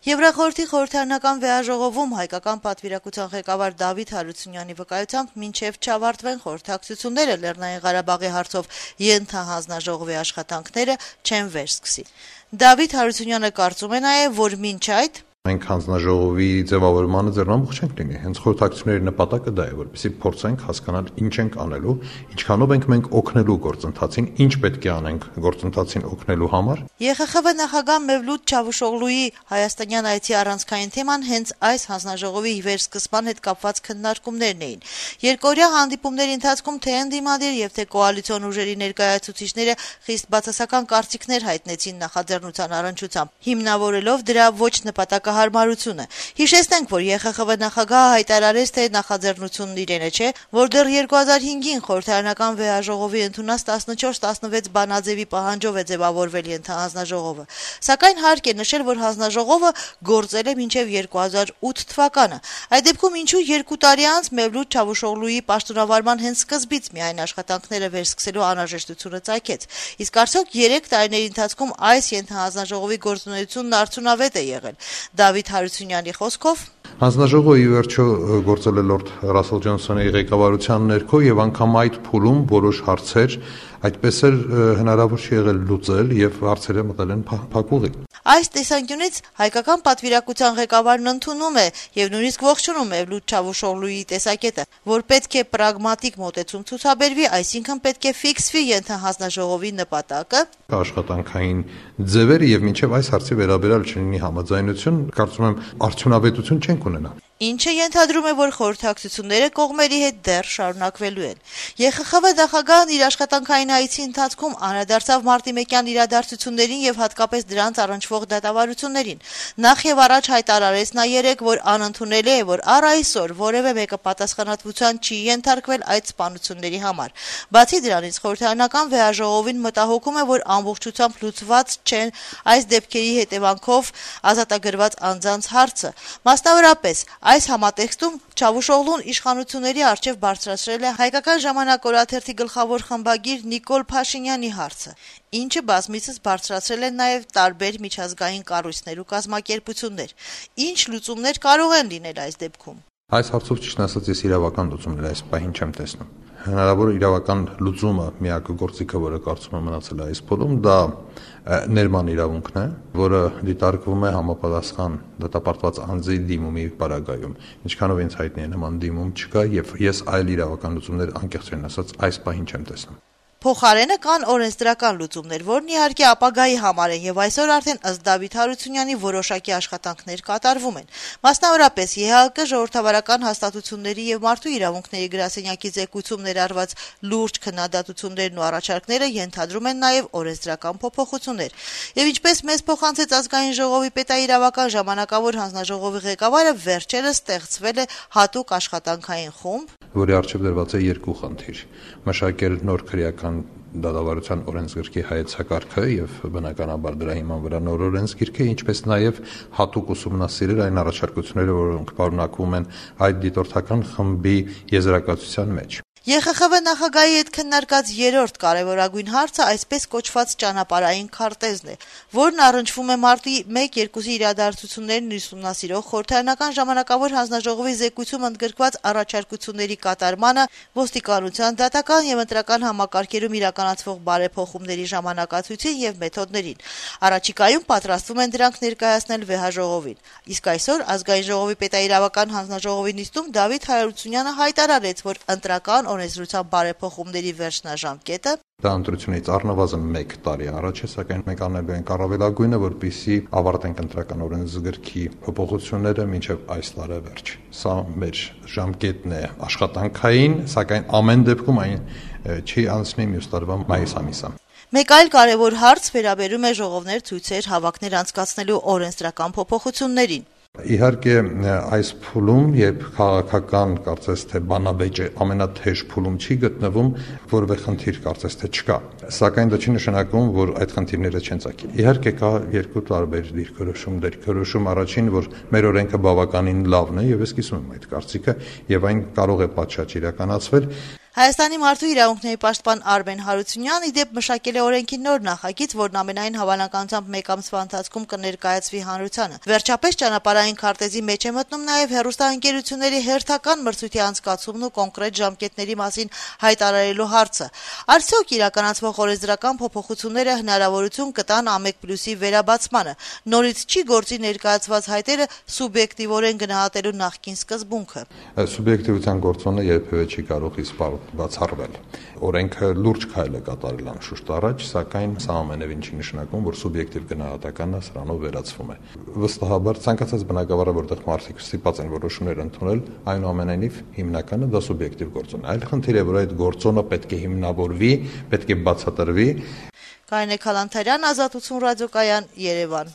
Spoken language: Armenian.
Եվրախորհրդի խորհրդարանական վեաժողովում հայկական պատվիրակության ղեկավար Դավիթ Հարությունյանի վկայությամբ մինչև չավարտվեն խորհրդակցությունները Լեռնային Ղարաբաղի հարցով ենթահանձնաժողովի աշխատանքները չեն վերսկսի։ Դավիթ Հարությունյանը կարծում է նաև, որ մինչ այդ մենք հանձնաժողովի ձևավորմանը ձեռնամուխ չենք լինի։ Հենց խորհրդակցությունների նպատակը դա է, որպեսզի փորձենք հասկանալ ինչ ենք անելու, ինչքանով ենք մենք օգնելու գործընթացին, ինչ պետք է անենք գործընթացին օգնելու համար։ ԵԽԽՎ նախագահ Մևլութ Չավուշօղլուի հայաստանյան այցի առանցքային թեման հենց այս հանձնաժողովի վերսկսման հետ կապված քննարկումներն էին։ Երկօրյա հանդիպումների ընթացքում թե ընդդիմադիր եւ թե կոալիցիոն ուժերի ներկայացուցիչները խիստ բացասական կարծիքներ հայտնեցին նախաձեռնության առնչությամբ, հիմնավորելով դրա ոչ նպատակահարմարությունը։ Հիշեցնենք, որ ԵԽԽՎ նախագահը հայտարարեց, թե նախաձեռնությունն իրենը չէ, որ դեռ 2005-ին խորհրդարանական վեաժողովի ընդունած 14-16 բանաձևի պահանջով է ձևավորվել ենթահանձնաժողովը։ Սակայն հարկ է նշել, որ հանձնաժողովը գործել է մինչև 2008 թվականը։ Այդ դեպքում ինչու 2 տարի անց Մևլութ Չավուշօղլուի պաշտոնավարման հենց սկզբից միայն աշխատանքները վերսկսելու անհրաժեշտությունը ծագեց։ Իսկ արդյոք 3 տարիների ընթացքում այս ենթահանձնաժողովի գործունեությունն արդյունավետ է եղել։ Դավիթ Հարությունյանի խոսքով հանձնաժողովը ի վերջո գործել է լորդ Ռասել Ջոնսոնի ղեկավարության ներքո եւ անգամ այդ փուլում որոշ հարցեր այդպես էլ հնարավոր չի եղել լուծել եւ հարցերը մտել են փակուղի։ Այս տեսանկյունից հայկական պատվիրակության ղեկավարն ընդունում է եւ նույնիսկ ողջունում Մևլութ Չավուշօղլուի տեսակետը, որ պետք է պրագմատիկ մոտեցում ցուցաբերվի, այսինքն պետք է ֆիքսվի ենթահանձնաժողովի նպատակը, աշխատանքային ձևերը եւ մինչեւ այս հարցի վերաբերյալ չլինի համաձայնություն, կարծում եմ արդյունավետություն չենք ունենա։ Ինչը ենթադրում է, որ խորհրդակցությունները կողմերի հետ դեռ շարունակվելու են։ ԵԽԽՎ նախագահն իր աշխատանքային այցի ընթացքում անդրադարձավ մարտի 1-յան իրադարձություններին եւ հատկապես դրանց առնչվող դատավարություններին։ Նախ եւ առաջ հայտարարեց նա երեկ, որ անընդունելի է, որ առ այսօր որևէ մեկը պատասխանատվության չի ենթարկվել այդ սպանությունների համար։ Բացի դրանից, խորհրդարանական վեաժողովին մտահոգում է, որ ամբողջությամբ լուծված չեն այս դեպքերի հետևանքով ազատագրված անձանց հարցը։ Մասնավորապես այս համատեքստում Չավուշօղլուն իշխանությունների առջև բարձրացրել է հայկական ժամանակ օրաթերթի գլխավոր խմբագիր Նիկոլ Փաշինյանի հարցը, ինչը բազմիցս բարձրացրել են նաև տարբեր միջազգային կառույցներ ու կազմակերպություններ։ Ինչ լուծումներ կարող են լինել այս դեպքում։ Այս հարցով ճիշտ ասած ես իրավական լուծումներ այս պահին չեմ տեսնում։ Հնարավոր իրավական լուծումը միակ գործիքը, որը կարծում եմ մնացել է այս փուլում, դա ներման իրավունքն է, որը դիտարկվում է համապատասխան դատապարտված անձի դիմումի պարագայում։ Ինչքանով ինձ հայտնի է, նման դիմում չկա եւ ես այլ իրավական լուծումներ անկեղծորեն ասած այս պահին չեմ տեսնում։ Փոխարենը կան օրենսդրական լուծումներ, որն իհարկե ապագայի համար են եւ այսօր արդեն ըստ Դավիթ Հարությունյանի որոշակի աշխատանքներ կատարվում են։ Մասնավորապես ԵՀԿ ժողովրդավարական հաստատությունների եւ մարդու իրավունքների գրասենյակի զեկույցում ներառված լուրջ քննադատություններն ու առաջարկները ենթադրում են նաեւ օրենսդրական փոփոխություններ։ Եվ ինչպես մեզ փոխանցեց ազգային ժողովի պետաիրավական ժամանակավոր հանձնաժողովի ղեկավարը, վերջերս ստեղծվել է հատուկ աշխատանքային խումբ, որի առջև դրված է 2 խնդիր՝ մշակել նոր քրեական դատավարության օրենսգրքի հայեցակարգը եւ բնականաբար դրա հիման վրա նոր օրենսգիրքը, ինչպես նաեւ հատուկ ուսումնասիրել այն առաջարկությունները, որոնք պարունակվում են այդ դիտորդական խմբի եզրակացության մեջ։ ԵԽԽՎ նախագահի հետ քննարկած 3-րդ կարևորագույն հարցը այսպես կոչված ճանապարհային քարտեզն է, որն առնչվում է մարտի 1-2-ի իրադարձություններն ուսումնասիրող խորհրդարանական ժամանակավոր հանձնաժողովի զեկույցում ընդգրկված առաջարկությունների կատարմանը, ոստիկանության, դատական եւ ընտրական համակարգերում իրականացվող բարեփոխումների ժամանակացույցին եւ մեթոդներին։ Առաջիկայում պատրաստվում են դրանք ներկայացնել վեհաժողովին։ Իսկ այսօր ազգային ժողովի պետաիրավական հանձնաժողովի նիստում Դավիթ Հարությունյանը հայտարարեց, որ ընտրական օրենսդրության բարեփոխումների վերջնաժամկետը դա ընտրությունից առնվազն 1 տարի առաջ է, սակայն մենք անելու ենք առավելագույնը, որպեսզի ավարտենք ընտրական օրենսգրքի փոփոխությունները մինչև այս տարեվերջ։ Սա մեր ժամկետն է աշխատանքային, սակայն ամեն դեպքում այն չի անցնի մյուս տարվա մայիս ամիսը։ Մեկ այլ կարևոր հարց վերաբերում է ժողովներ, ցույցեր, հավաքներ անցկացնելու օրենսդրական փոփոխություններին։ Իհարկե այս փուլում, երբ քաղաքական կարծես թե բանավեճը ամենաթեժ փուլում չի գտնվում, որևէ խնդիր կարծես թե չկա։ Սակայն դա չի նշանակում, որ այդ խնդիրները չեն ծագի։ Իհարկե կա 2 տարբեր դիրքորոշում, առաջին, որ մեր օրենքը բավականին լավն է եւ ես կիսում եմ այդ կարծիքը եւ այն կարող է պատշաճ իրականացվել։ Հայաստանի մարդու իրավունքների պաշտպան Արմեն Հարությունյանն ի դեպ մշակել է օրենքի նոր նախագիծ, որն ամենայն հավանականությամբ մեկ ամսվա ընթացքում կներկայացվի հանրությանը։ Վերջապես ճանապարհային քարտեզի մեջ է մտնում նաև հեռուստաընկերությունների հերթական մրցույթի անցկացումն ու կոնկրետ ժամկետների մասին հայտարարելու հարցը։ Արդյոք իրականացվող օրենսդրական փոփոխությունները հնարավորություն կտան ԱՄԵԿ+-ի վերաբացմանը։ Նորից չի գործի ներկայացված հայտերը սուբյեկտիվորեն գնահատելու նախկին սկզբունքը։ Սուբյեկտիվության գործոնը երբևէ չի կարող իսպառ բացառվել։ Օրենքը լուրջ քայլ է կատարել անշուշտ առաջ, սակայն սա ամենևին չի նշանակում, որ սուբյեկտիվ գնահատականը սրանով վերացվում է։ Վստահաբար ցանկացած բնակավարը, որտեղ մարդիկ ստիպված են որոշումներ ընդունել, այնուամենայնիվ հիմնականը դա սուբյեկտիվ գործոն է։ Այլ խնդիր է, որ այդ գործոնը պետք է հիմնավորվի, պետք է բացատրվի։ Կարինե Քալանթարյան, Ազատություն ռադիոկայան, Երևան։